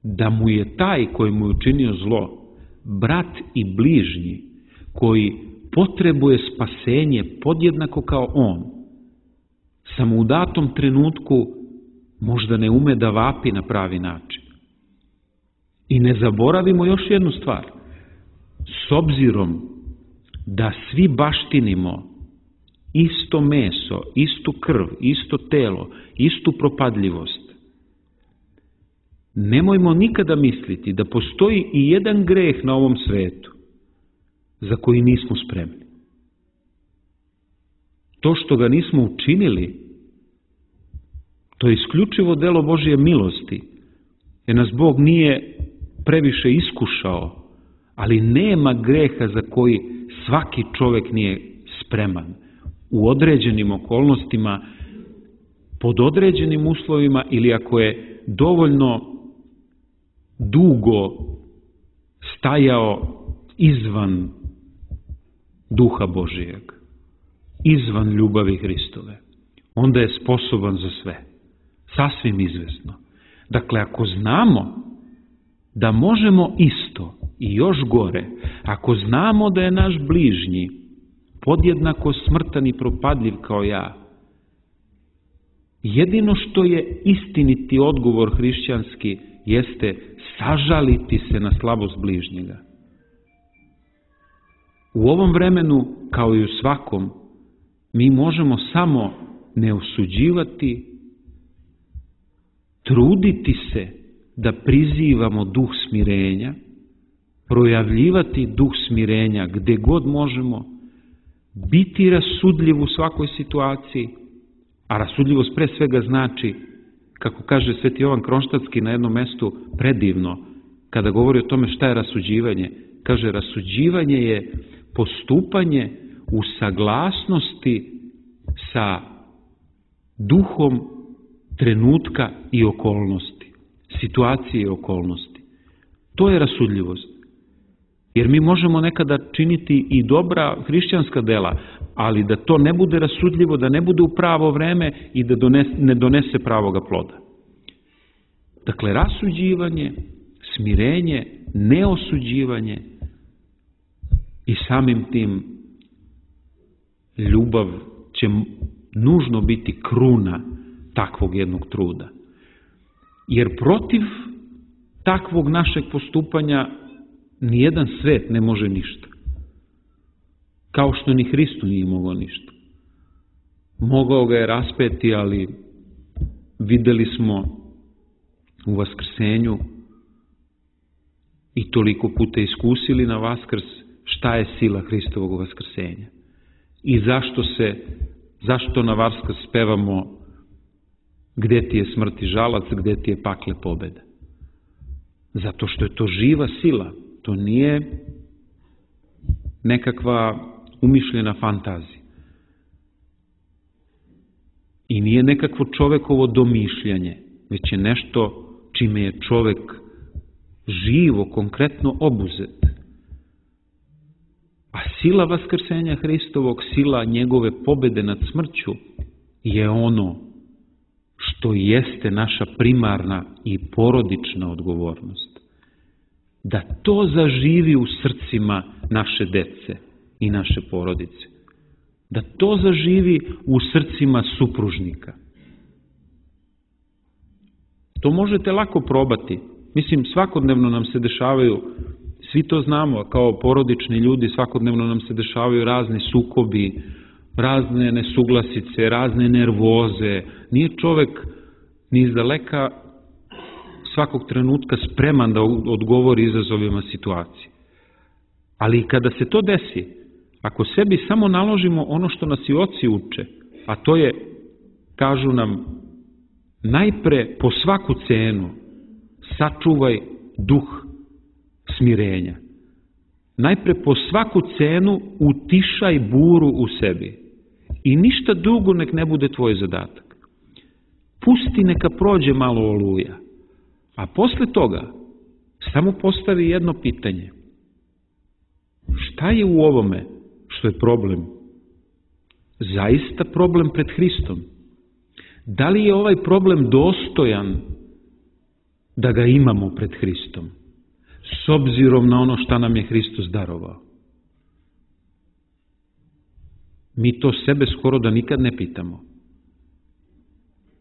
da mu je taj koji mu je učinio zlo, brat i bližnji, koji potrebuje spasenje podjednako kao on, samo u datom trenutku možda ne ume da vapi na pravi način. I ne zaboravimo još jednu stvar. S obzirom da svi baštinimo isto meso, istu krv, isto telo, istu propadljivost, nemojmo nikada misliti da postoji i jedan greh na ovom svetu za koji nismo spremni. To što ga nismo učinili, to je isključivo delo Božje milosti, jer nas Bog nije previše iskušao, ali nema greha za koji svaki čovjek nije spreman. U određenim okolnostima, pod određenim uslovima ili ako je dovoljno dugo stajao izvan duha Božijeg, izvan ljubavi Hristove, onda je sposoban za sve. Sasvim izvesno. Dakle, ako znamo da možemo isto i još gore, ako znamo da je naš bližnji podjednako smrtan i propadljiv kao ja. Jedino što je istiniti odgovor hrišćanski jeste sažaliti se na slabost bližnjega. U ovom vremenu, kao i u svakom, mi možemo samo ne osuđivati, truditi se da prizivamo duh smirenja, projavljivati duh smirenja gde god možemo, biti rasudljiv u svakoj situaciji, a rasudljivost pre svega znači, kako kaže Sveti Jovan Kronštatski na jednom mestu predivno, kada govori o tome šta je rasuđivanje, kaže rasuđivanje je postupanje u saglasnosti sa duhom trenutka i okolnosti, situacije i okolnosti. To je rasudljivost. Jer mi možemo nekada činiti i dobra hrišćanska dela, ali da to ne bude rasudljivo, da ne bude u pravo vreme i da donese, ne donese pravoga ploda. Dakle, rasuđivanje, smirenje, neosuđivanje i samim tim ljubav će nužno biti kruna takvog jednog truda. Jer protiv takvog našeg postupanja nijedan svet ne može ništa. Kao što ni Hristu nije mogao ništa. Mogao ga je raspeti, ali videli smo u Vaskrsenju i toliko puta iskusili na Vaskrs šta je sila Hristovog Vaskrsenja. I zašto se, zašto na Vaskrs pevamo gde ti je smrt i žalac, gde ti je pakle pobeda. Zato što je to živa sila. To nije nekakva umišljena fantazija. I nije nekakvo čovekovo domišljanje, već je nešto čime je čovek živo, konkretno obuzet. A sila Vaskrsenja Hristovog, sila njegove pobede nad smrću je ono što jeste naša primarna i porodična odgovornost. Da to zaživi u srcima naše dece i naše porodice. Da to zaživi u srcima supružnika. To možete lako probati. Mislim, svakodnevno nam se dešavaju, svi to znamo, kao porodični ljudi, svakodnevno nam se dešavaju razni sukobi, razne nesuglasice, razne nervoze. Nije čovek ni izdaleka svakog trenutka spreman da odgovori izazovima situacije. Ali kada se to desi, ako sebi samo naložimo ono što nas i oci uče, a to je, kažu nam, najpre po svaku cenu sačuvaj duh smirenja. Najpre po svaku cenu utišaj buru u sebi. I ništa drugo nek ne bude tvoj zadatak. Pusti neka prođe malo oluja. A posle toga samo postavi jedno pitanje. Šta je u ovome što je problem? Zaista problem pred Hristom? Da li je ovaj problem dostojan da ga imamo pred Hristom? S obzirom na ono šta nam je Hristos darovao. Mi to sebe skoro da nikad ne pitamo.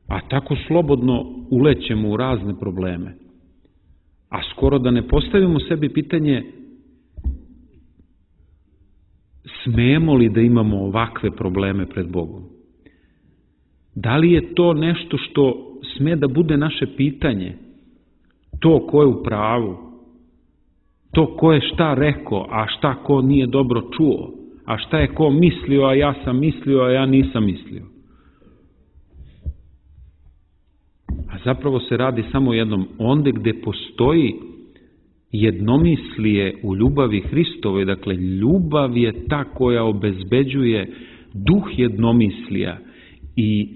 A tako slobodno ulećemo u razne probleme. A skoro da ne postavimo sebi pitanje smemo li da imamo ovakve probleme pred Bogom? Da li je to nešto što sme da bude naše pitanje? To ko je u pravu? To ko je šta rekao, a šta ko nije dobro čuo? A šta je ko mislio, a ja sam mislio, a ja nisam mislio? A zapravo se radi samo jednom, onde gde postoji jednomislije u ljubavi Hristovoj, dakle ljubav je ta koja obezbeđuje duh jednomislija i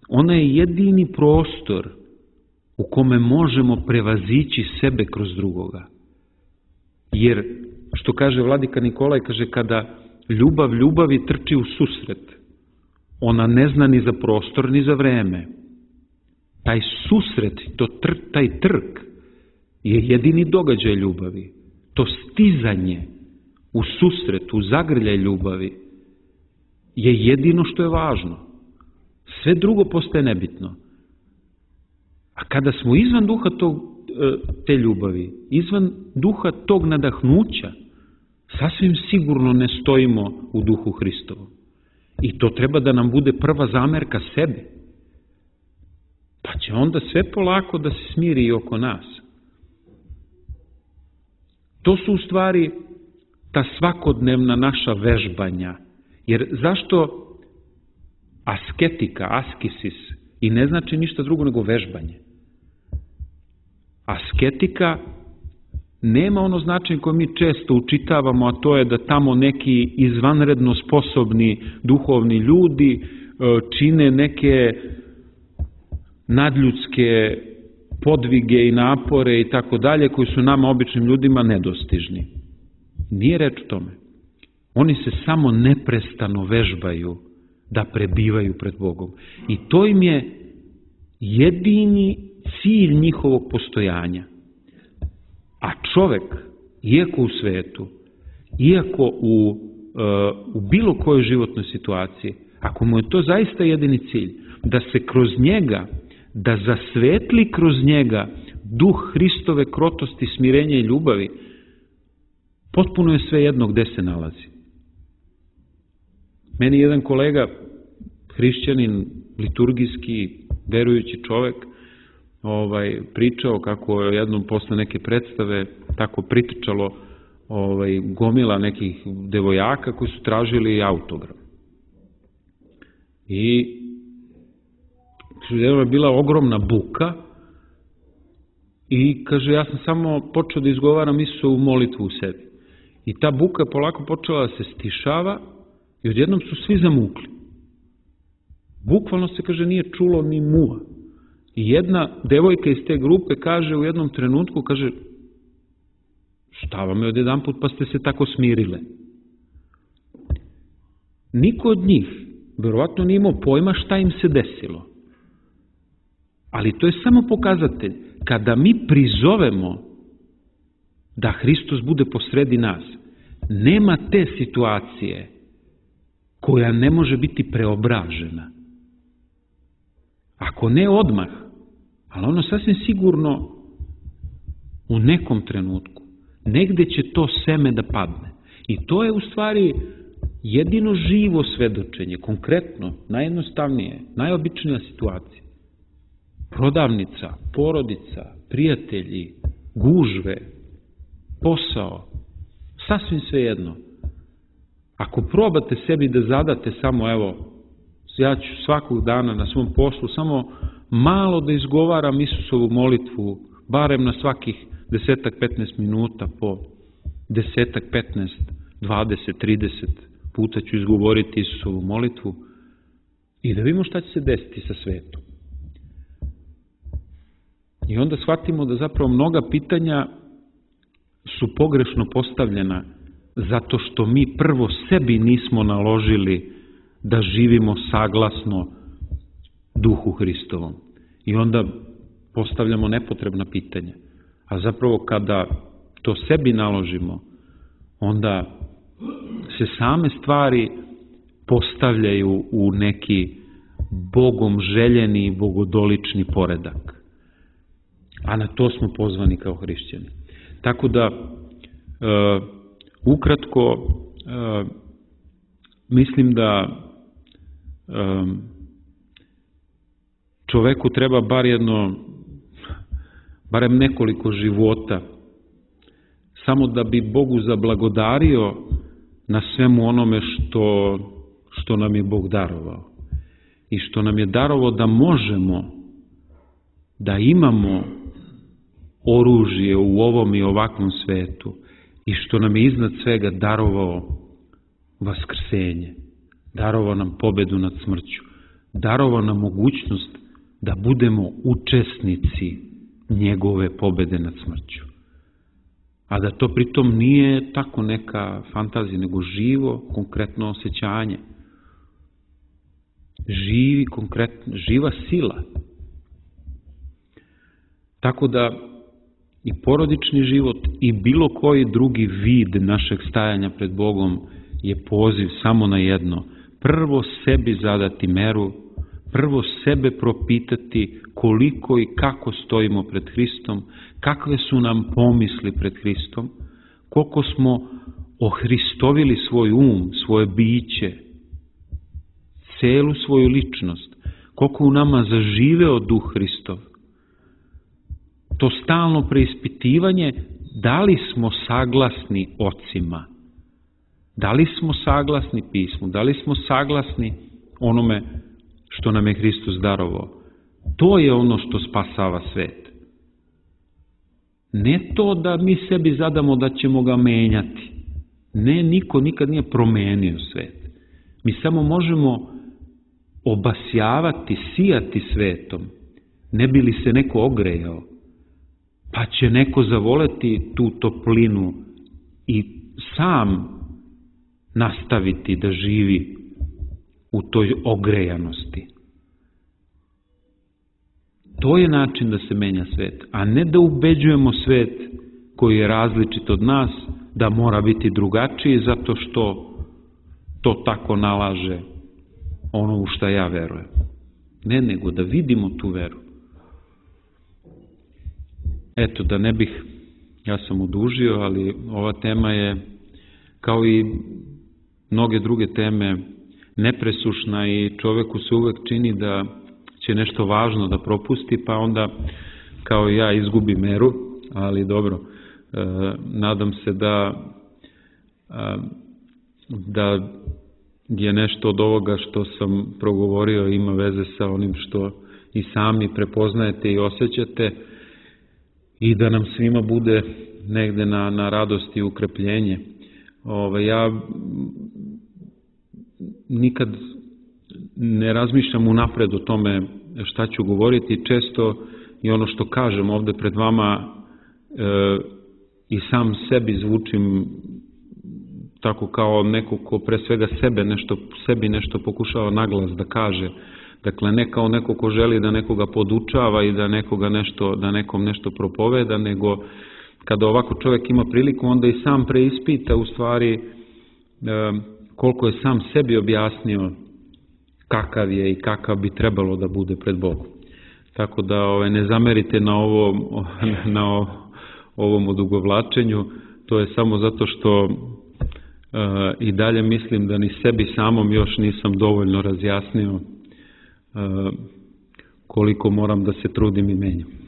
ona je jedini prostor u kome možemo prevazići sebe kroz drugoga. Jer, što kaže vladika Nikolaj, kaže kada ljubav ljubavi trči u susret, ona ne zna ni za prostor ni za vreme. Taj susret, to tr, taj trk je jedini događaj ljubavi. To stizanje u susret, u zagrljaj ljubavi je jedino što je važno. Sve drugo postaje nebitno. A kada smo izvan duha tog, te ljubavi, izvan duha tog nadahnuća, sasvim sigurno ne stojimo u duhu Hristovom. I to treba da nam bude prva zamerka sebi. Pa će onda sve polako da se smiri i oko nas. To su u stvari ta svakodnevna naša vežbanja. Jer zašto asketika, askisis, i ne znači ništa drugo nego vežbanje? Asketika nema ono značenje koje mi često učitavamo, a to je da tamo neki izvanredno sposobni duhovni ljudi čine neke nadljudske podvige i napore i tako dalje, koji su nama običnim ljudima nedostižni. Nije reč o tome. Oni se samo neprestano vežbaju da prebivaju pred Bogom. I to im je jedini cilj njihovog postojanja. A čovek, iako u svetu, iako u, u bilo kojoj životnoj situaciji, ako mu je to zaista jedini cilj, da se kroz njega, da zasvetli kroz njega duh Hristove krotosti, smirenja i ljubavi, potpuno je sve jedno gde se nalazi. Meni jedan kolega, hrišćanin, liturgijski, verujući čovek, ovaj, pričao kako je jednom posle neke predstave tako pritičalo ovaj, gomila nekih devojaka koji su tražili autogram. I je bila ogromna buka i kaže, ja sam samo počeo da izgovaram Isusovu molitvu u sebi. I ta buka je polako počela da se stišava i odjednom su svi zamukli. Bukvalno se, kaže, nije čulo ni mua. I jedna devojka iz te grupe kaže u jednom trenutku, kaže, šta vam je odjedan put pa ste se tako smirile? Niko od njih verovatno nije imao pojma šta im se desilo. Ali to je samo pokazatelj. Kada mi prizovemo da Hristos bude posredi nas, nema te situacije koja ne može biti preobražena. Ako ne odmah, ali ono sasvim sigurno u nekom trenutku, negde će to seme da padne. I to je u stvari jedino živo svedočenje, konkretno, najjednostavnije, najobičnija situacija. Prodavnica, porodica, prijatelji, gužve, posao, sasvim svejedno. Ako probate sebi da zadate samo, evo, ja ću svakog dana na svom poslu samo malo da izgovaram Isusovu molitvu, barem na svakih desetak, petnaest minuta, po desetak, petnaest, dvadeset, trideset puta ću izgovoriti Isusovu molitvu i da vidimo šta će se desiti sa svetom. I onda shvatimo da zapravo mnoga pitanja su pogrešno postavljena zato što mi prvo sebi nismo naložili da živimo saglasno duhu Hristovom. I onda postavljamo nepotrebna pitanja. A zapravo kada to sebi naložimo, onda se same stvari postavljaju u neki Bogom željeni, bogodolični poredak. A na to smo pozvani kao hrišćani. Tako da, e, ukratko, e, mislim da e, čoveku treba bar jedno, barem nekoliko života, samo da bi Bogu zablagodario na svemu onome što, što nam je Bog darovao. I što nam je darovao da možemo, da imamo oružje u ovom i ovakvom svetu i što nam je iznad svega darovao vaskrsenje, darovao nam pobedu nad smrću, darovao nam mogućnost da budemo učesnici njegove pobede nad smrću. A da to pritom nije tako neka fantazija, nego živo, konkretno osjećanje. Živi, konkretno, živa sila. Tako da i porodični život i bilo koji drugi vid našeg stajanja pred Bogom je poziv samo na jedno. prvo sebi zadati meru, prvo sebe propitati koliko i kako stojimo pred Hristom, kakve su nam pomisli pred Hristom, koliko smo ohristovili svoj um, svoje biće, celu svoju ličnost, koliko u nama zaživeo duh Hristov. To stalno preispitivanje, da li smo saglasni ocima, da li smo saglasni pismu, da li smo saglasni onome što nam je Hristos darovao. To je ono što spasava svet. Ne to da mi sebi zadamo da ćemo ga menjati. Ne, niko nikad nije promenio svet. Mi samo možemo obasjavati, sijati svetom, ne bi li se neko ogrejao, pa će neko zavoleti tu toplinu i sam nastaviti da živi u toj ogrejanosti. To je način da se menja svet, a ne da ubeđujemo svet koji je različit od nas, da mora biti drugačiji zato što to tako nalaže ono u šta ja verujem. Ne, nego da vidimo tu veru. Eto, da ne bih, ja sam odužio, ali ova tema je, kao i mnoge druge teme, nepresušna i čoveku se uvek čini da će nešto važno da propusti, pa onda kao ja izgubi meru, ali dobro, e, nadam se da e, da je nešto od ovoga što sam progovorio ima veze sa onim što i sami prepoznajete i osjećate i da nam svima bude negde na, na radost i ukrepljenje. Ove, ja nikad ne razmišljam unapred o tome šta ću govoriti, često i ono što kažem ovde pred vama e, i sam sebi zvučim tako kao neko ko pre svega sebe nešto, sebi nešto pokušava naglas da kaže. Dakle, ne kao neko ko želi da nekoga podučava i da nekoga nešto, da nekom nešto propoveda, nego kada ovako čovjek ima priliku, onda i sam preispita u stvari e, koliko je sam sebi objasnio kakav je i kakav bi trebalo da bude pred Bogom. Tako da ove, ne zamerite na ovom, na ovom odugovlačenju, to je samo zato što e, i dalje mislim da ni sebi samom još nisam dovoljno razjasnio e, koliko moram da se trudim i menjam.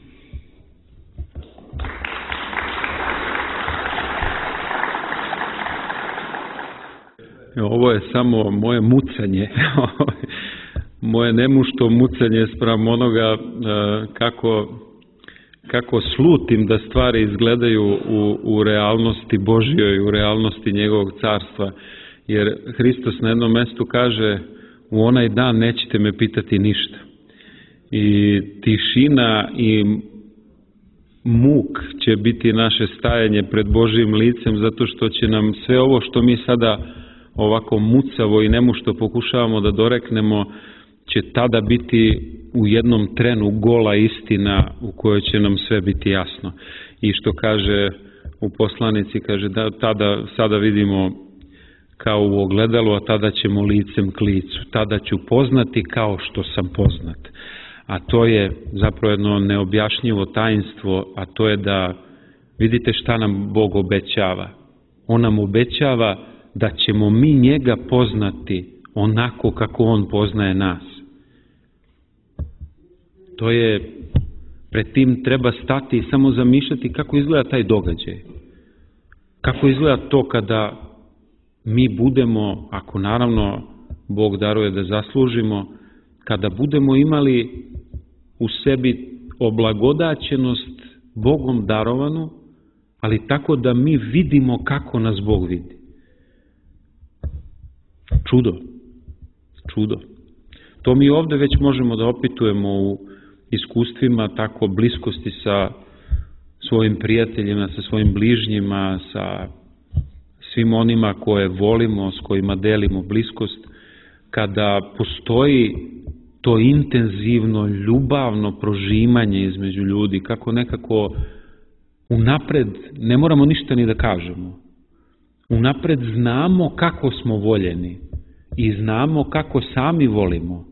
Ovo je samo moje mucanje, moje nemušto mucanje spram onoga kako, kako slutim da stvari izgledaju u, u realnosti Božjoj, u realnosti njegovog carstva. Jer Hristos na jednom mestu kaže, u onaj dan nećete me pitati ništa. I tišina i muk će biti naše stajanje pred Božjim licem, zato što će nam sve ovo što mi sada ovako mucavo i nemušto pokušavamo da doreknemo, će tada biti u jednom trenu gola istina u kojoj će nam sve biti jasno. I što kaže u poslanici, kaže da tada sada vidimo kao u ogledalu, a tada ćemo licem k licu. Tada ću poznati kao što sam poznat. A to je zapravo jedno neobjašnjivo tajnstvo, a to je da vidite šta nam Bog obećava. On nam obećava da ćemo mi njega poznati onako kako on poznaje nas. To je, pred tim treba stati i samo zamišljati kako izgleda taj događaj. Kako izgleda to kada mi budemo, ako naravno Bog daruje da zaslužimo, kada budemo imali u sebi oblagodaćenost Bogom darovanu, ali tako da mi vidimo kako nas Bog vidi. Čudo. Čudo. To mi ovde već možemo da opitujemo u iskustvima tako bliskosti sa svojim prijateljima, sa svojim bližnjima, sa svim onima koje volimo, s kojima delimo bliskost, kada postoji to intenzivno, ljubavno prožimanje između ljudi, kako nekako unapred, ne moramo ništa ni da kažemo, unapred znamo kako smo voljeni i znamo kako sami volimo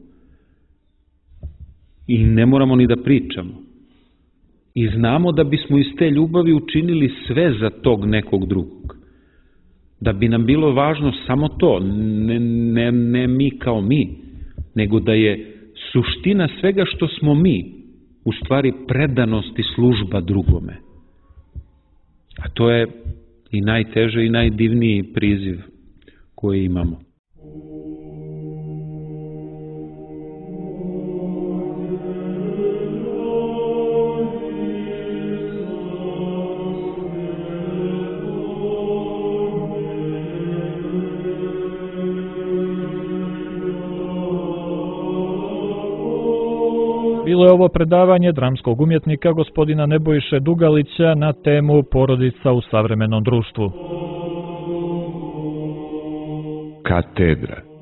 i ne moramo ni da pričamo. I znamo da bismo iz te ljubavi učinili sve za tog nekog drugog. Da bi nam bilo važno samo to, ne, ne, ne mi kao mi, nego da je suština svega što smo mi, u stvari predanost i služba drugome. A to je i najteže i najdivniji priziv koji imamo. Bilo je ovo predavanje dramskog umjetnika gospodina Nebojše Dugalića na temu porodica u savremenom društvu. Katedra.